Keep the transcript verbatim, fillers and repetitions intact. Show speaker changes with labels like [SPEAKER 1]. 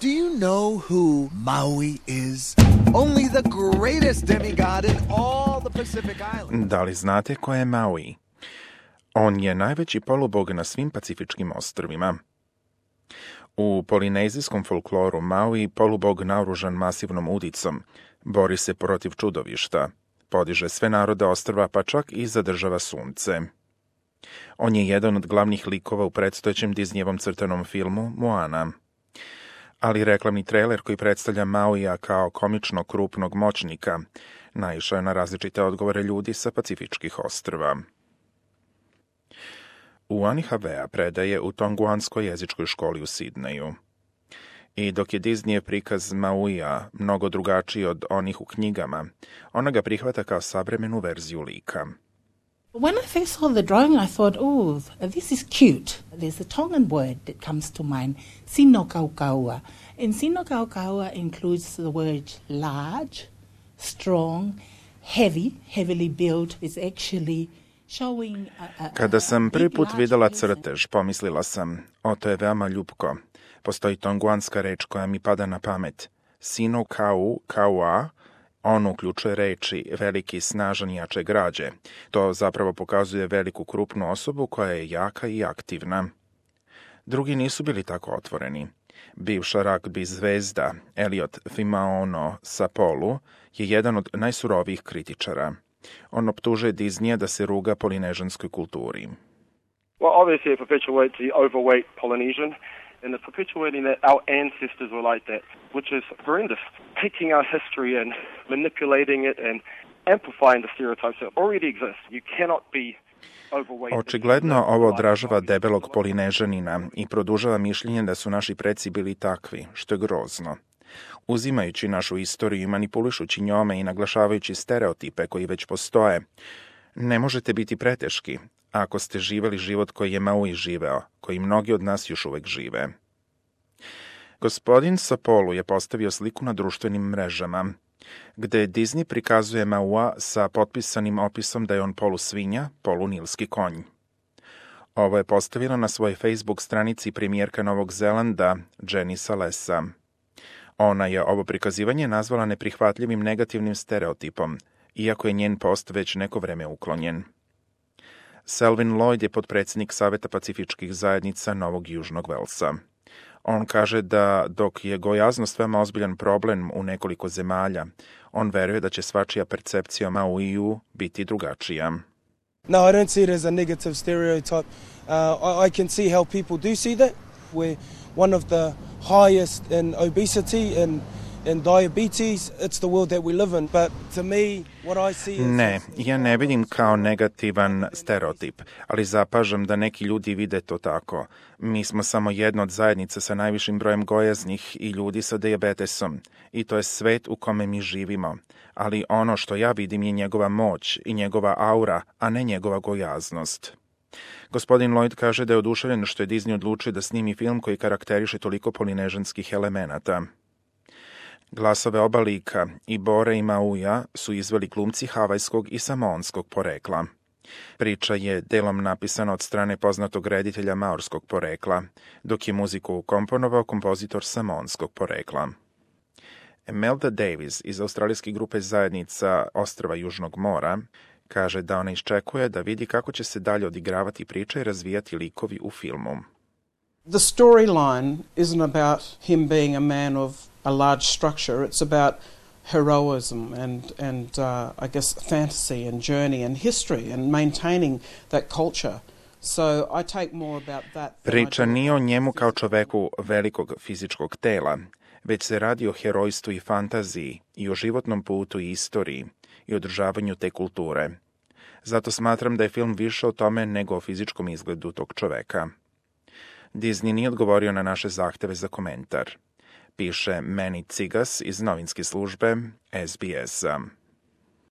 [SPEAKER 1] Do you know who Maui is? Only the greatest demigod in all the Pacific Islands.
[SPEAKER 2] Da li znate ko je Maui? On je najveći polubog na svim pacifičkim ostrvima. U polinezijskom folkloru Maui polubog naoružan masivnom udicom bori se protiv čudovišta, podiže sve narode ostrva pa čak i zadržava sunce. On je jedan od glavnih likova u predstojećem Disneyevom crtanom filmu Moana. Ali reklamni trailer koji predstavlja Mauija kao komično krupnog moćnika naišao je na različite odgovore ljudi sa pacifičkih ostrva. Uani Havea predaje u tonguanskoj jezičkoj školi u Sidneju. I dok je Disneyev prikaz Mauija mnogo drugačiji od onih u knjigama, ona ga prihvata kao savremenu verziju lika.
[SPEAKER 3] When I first saw the drawing, I thought, oh, this is cute. There's a Tongan word that comes to mind, sinokaukaua. And sinokaukaua includes the word large, strong, heavy, heavily built. It's actually showing... A, a,
[SPEAKER 2] Kada sam prvi put videla crtež, pomislila sam, o, to je veoma ljupko. Postoji tonguanska reč koja mi pada na pamet. Sinokau, kaua, on uključuje reči veliki, snažan i jače građe. To zapravo pokazuje veliku krupnu osobu koja je jaka i aktivna. Drugi nisu bili tako otvoreni. Bivša ragbi zvezda Elliot Fimaono Sapolu je jedan od najsurovijih kritičara. On optužuje Disneya da se ruga polinežanskoj kulturi.
[SPEAKER 4] Well, obviously it perpetuates the overweight Polynesian. And it's perpetuating that our ancestors were like that, which is horrendous. Taking our history and manipulating it and amplifying the stereotypes that already exist. You cannot be overweight.
[SPEAKER 2] Očigledno ovo odražava debelog Polinežanina i produžava mišljenje da su naši preci bili takvi, što je grozno. Uzimajući našu istoriju i manipulišući njome i naglašavajući stereotipe koji već postoje, ne možete biti preteški ako ste živeli život koji je Maui živeo, koji mnogi od nas još uvek žive. Gospodin Sapolu je postavio sliku na društvenim mrežama, gde Disney prikazuje Maua sa potpisanim opisom da je on polusvinja, polunilski konj. Ovo je postavila na svojoj Facebook stranici premijerka Novog Zelanda Jenny Salesa. Ona je ovo prikazivanje nazvala neprihvatljivim negativnim stereotipom, iako je njen post već neko vreme uklonjen. Selwyn Lloyd je potpredsjednik Saveta pacifičkih zajednica Novog Južnog Velsa. On kaže da dok je gojaznost veoma ozbiljan problem u nekoliko zemalja, on veruje da će svačija percepcija o Mauiju biti drugačija.
[SPEAKER 5] No, I don't see it as a negative stereotype. Uh, I, I can see how people do see that. We're one of the highest in obesity and and diabetes. It's the world that we live in. But to me, what I see is...
[SPEAKER 2] Ne, ja ne vidim kao negativan stereotip, ali zapažam da neki ljudi vide to tako. Mi smo samo jedna od zajednica sa najvišim brojem gojaznih i ljudi sa dijabetesom. I to je svet u kome mi živimo. Ali ono što ja vidim je njegova moć i njegova aura, a ne njegova gojaznost. Gospodin Lloyd kaže da je oduševljen što je Disney odlučio da snimi film koji karakteriše toliko polinežanskih elemenata. Glasove oba lika, i Bore i Mauija, su izveli glumci havajskog i samoanskog porekla. Priča je delom napisana od strane poznatog reditelja maorskog porekla, dok je muziku komponovao kompozitor samoanskog porekla. Imelda Davis iz australijske grupe zajednica Ostrva Južnog mora kaže da ona iščekuje da vidi kako će se dalje odigravati priča i razvijati likovi u filmu.
[SPEAKER 6] The storyline isn't about him being a man of a large structure. It's about heroism and, and uh, I guess fantasy and journey and history and maintaining that culture. So I take more about that.
[SPEAKER 2] Priča nije o njemu kao čoveku velikog fizičkog tela, već se radi o herojstvu i fantaziji i o životnom putu i istoriji i održavanju te kulture. Zato smatram da je film više o tome nego o fizičkom izgledu tog čoveka. Disney nije odgovorio na naše zahteve za komentar, piše Manny Cigas iz novinske službe S B S-a.